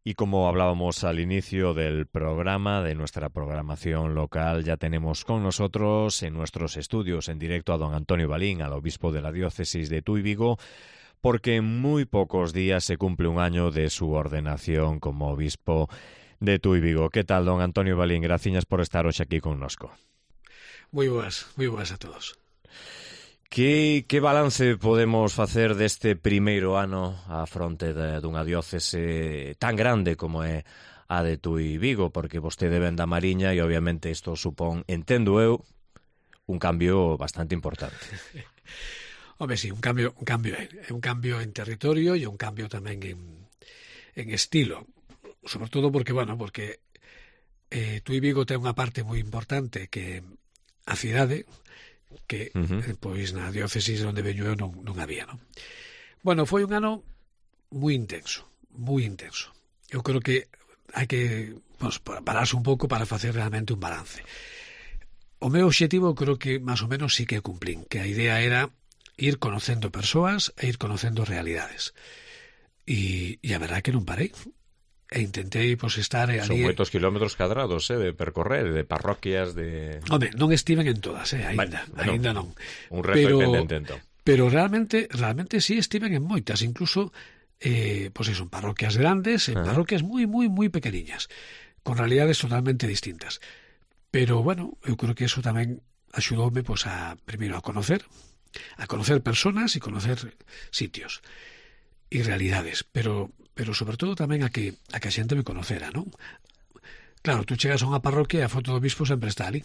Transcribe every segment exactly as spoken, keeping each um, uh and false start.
Y como hablábamos al inicio del programa, de nuestra programación local, ya tenemos con nosotros en nuestros estudios en directo a don Antonio Balín, al obispo de la diócesis de Tui Vigo, porque en muy pocos días se cumple un año de su ordenación como obispo de Tui Vigo. ¿Qué tal, don Antonio Balín? Gracias por estar hoxe aquí connosco. Moi boas, moi boas a todos. Que, que balance podemos facer deste primeiro ano á fronte de, dunha diócese tan grande como é a de Tui Vigo? Porque vostede ven da Mariña e obviamente isto supón, entendo eu, un cambio bastante importante. Home, sí, un cambio, un cambio é un cambio en territorio e un cambio tamén en, en estilo. Sobre todo porque, bueno, porque eh, Tui Vigo ten unha parte moi importante que a cidade que uh-huh. eh, pois na diócesis onde veño eu non, non había, non? Bueno, foi un ano moi intenso, moi intenso. Eu creo que hai que pues, pararse un pouco para facer realmente un balance. O meu obxectivo creo que máis ou menos sí que cumplín, que a idea era ir conocendo persoas e ir conocendo realidades. E, e a verdade que non parei. E intentei pues, estar ali... Son moitos kilómetros cadrados, eh, de percorrer, de parroquias, de... Home, non estiven en todas, eh, ainda, bueno, ainda non. Un reto pero, pendente, entón. Pero realmente, realmente sí estiven en moitas, incluso, eh, pues eso, en parroquias grandes, en uh-huh. parroquias moi, moi, moi pequeniñas, con realidades totalmente distintas. Pero, bueno, eu creo que eso tamén axudoume, pues, a, primeiro, a conocer, a conocer personas e conocer sitios e realidades, pero... pero sobre todo tamén a que a que a xente me conocera, non? Claro, tú chegas a unha parroquia e a foto do obispo sempre está ali.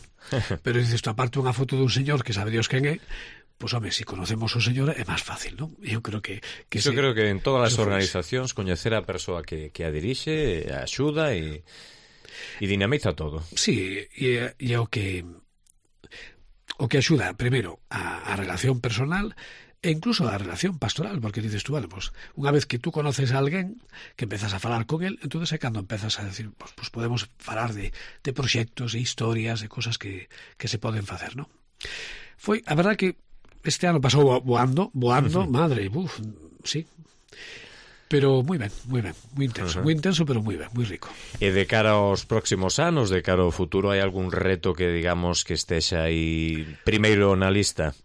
Pero dices, tú aparte unha foto dun señor que sabe Dios quen é, pois, home, se si conocemos o señor é máis fácil, non? Eu creo que... que Yo se, creo que en todas as organizacións coñecer a persoa que, que a dirixe, a axuda e, e dinamiza todo. Sí, e, e o que o que axuda, primeiro, a, a relación personal e incluso a relación pastoral, porque dices tú, bueno, pues, unha vez que tú conoces a alguén, que empezas a falar con él, entonces é cando empezas a decir, pues, pues podemos falar de, de proxectos, de historias, de cosas que, que se poden facer, ¿no? Foi, a verdad que este ano pasou voando, voando, uh-huh. madre, uf, sí, pero moi ben, moi ben, moi intenso, uh-huh. moi intenso, pero moi ben, moi rico. E de cara aos próximos anos, de cara ao futuro, hai algún reto que, digamos, que estexa aí primeiro na lista?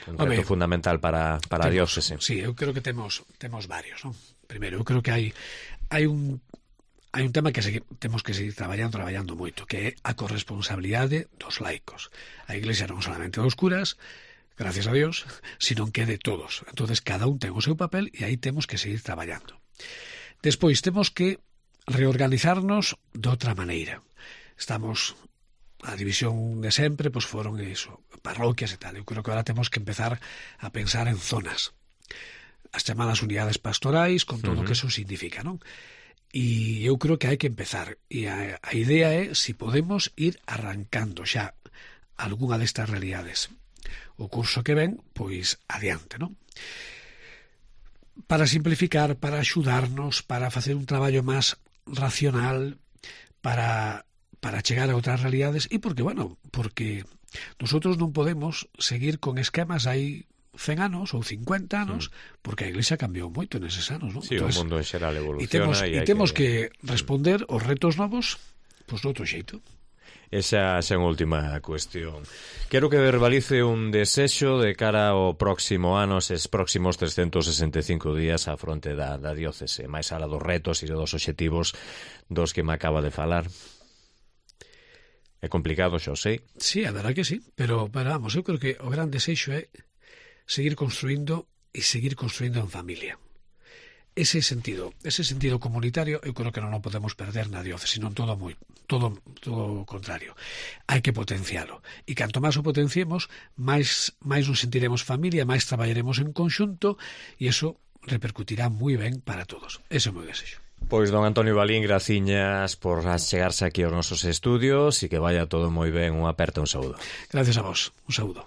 Un reto Home, fundamental para, para temos, a diócese. Sí, eu creo que temos temos varios, non? Primeiro, eu creo que hai hai un hai un tema que segui, temos que seguir traballando, traballando moito, que é a corresponsabilidade dos laicos. A Iglesia non solamente dos curas, gracias a Dios, sino que de todos. Entonces, cada un ten o seu papel e aí temos que seguir traballando. Despois, temos que reorganizarnos de outra maneira. Estamos... a división de sempre, pois pues foron eso, parroquias e tal. Eu creo que agora temos que empezar a pensar en zonas. As chamadas unidades pastorais, con todo o uh-huh. que eso significa, non? E eu creo que hai que empezar. E a, a idea é, se si podemos, ir arrancando xa algunha destas realidades. O curso que ven, pois, adiante, non? Para simplificar, para axudarnos, para facer un traballo máis racional, para... para chegar a outras realidades e porque, bueno, porque nosotros non podemos seguir con esquemas aí cen anos ou cincuenta anos, mm. porque a Iglesia cambiou moito neses anos, non? Sí, entonces, o mundo en xeral evoluciona e temos, e, e temos que... que responder aos retos novos pois de outro xeito. Esa é a última cuestión. Quero que verbalice un desexo de cara ao próximo ano, eses próximos trescentos sesenta e cinco días á fronte da, da diócese, máis ala dos retos e dos obxectivos dos que me acaba de falar. É complicado, xa o sei. Sí, a verdade que sí, pero, pero vamos, eu creo que o gran desexo é seguir construindo e seguir construindo en familia. Ese sentido, ese sentido comunitario, eu creo que non o podemos perder na diócese, sino todo moi, todo, todo o contrario. Hai que potencialo. E canto máis o potenciemos, máis, máis nos sentiremos familia, máis traballaremos en conxunto, e eso repercutirá moi ben para todos. Ese é o meu desexo. Pois, don Antonio Balín, graciñas por chegarse aquí aos nosos estudios e que vaya todo moi ben. Un aperto, un saúdo. Gracias a vos. Un saúdo.